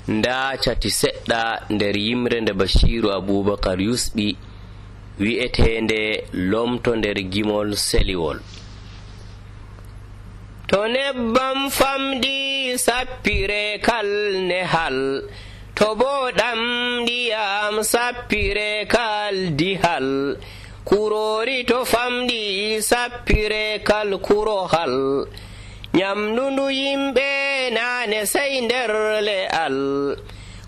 nda cati seɗɗa nder yimre nde Bashiru Abubakar yusɓi wi'etende lomto nder gimol seliwol. To nebbam famɗi sappire kal nehal, to bo ɗam ndiyam sappire kal dihal, kurori to famɗi sappire kal kurohal, nyamndu yimɓe naane sey nder le'al,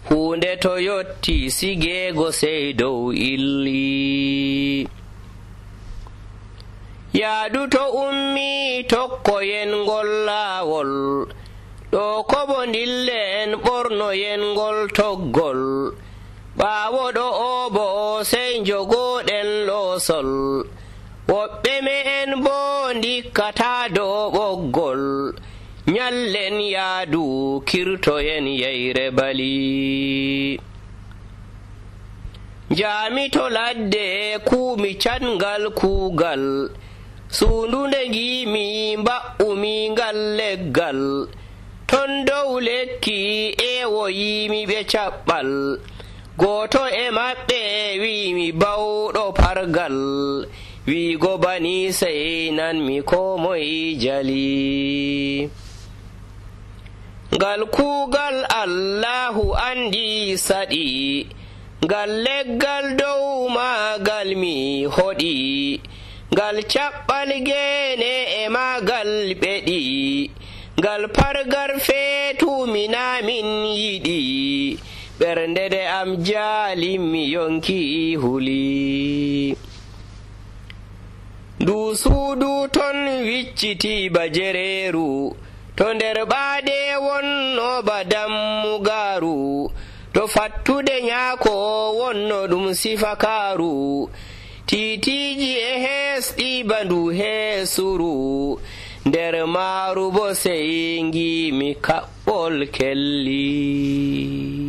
hunde to yotti sigeego sey dow illi. yaadu to ummi tokkoyen ngol laawol, ɗo kobo ndillen ɓornoyen ngol toggol, ɓaawo ɗo oobo sey njogoɗen loosol, woɓɓe me'en boo ndikkataa dow ɓoggol, nyallen yaadu kirtoyen yeyre bali. njaami to ladde kuumi catngal kuugal, suundunde ngiimi mba'umi ngal leggal, ton dow lekki eewoyiimi ɓe caɓɓal, gooto e maɓɓe wiimi bawɗo pargal, wiigo bani sey nanmi ko moye jali. ngal kuugal Allahu andi saɗi, ngal leggal dow maagal mi hoɗi, ngal caɓɓal geene e maagal ɓeɗi, ngal pargar feetuminamin yiɗi, ɓernde nde am jaali mi yonki huli. ndu suudu ton wicciti ba jereeru, to nder ɓaade wonno ba dammugaaru, to fattude nyaako wonno ɗum sifakaaru, tiitiiji e heesɗi ba ndu heesuru, nder maaru bo sey ngiimi kaɓɓol kelli.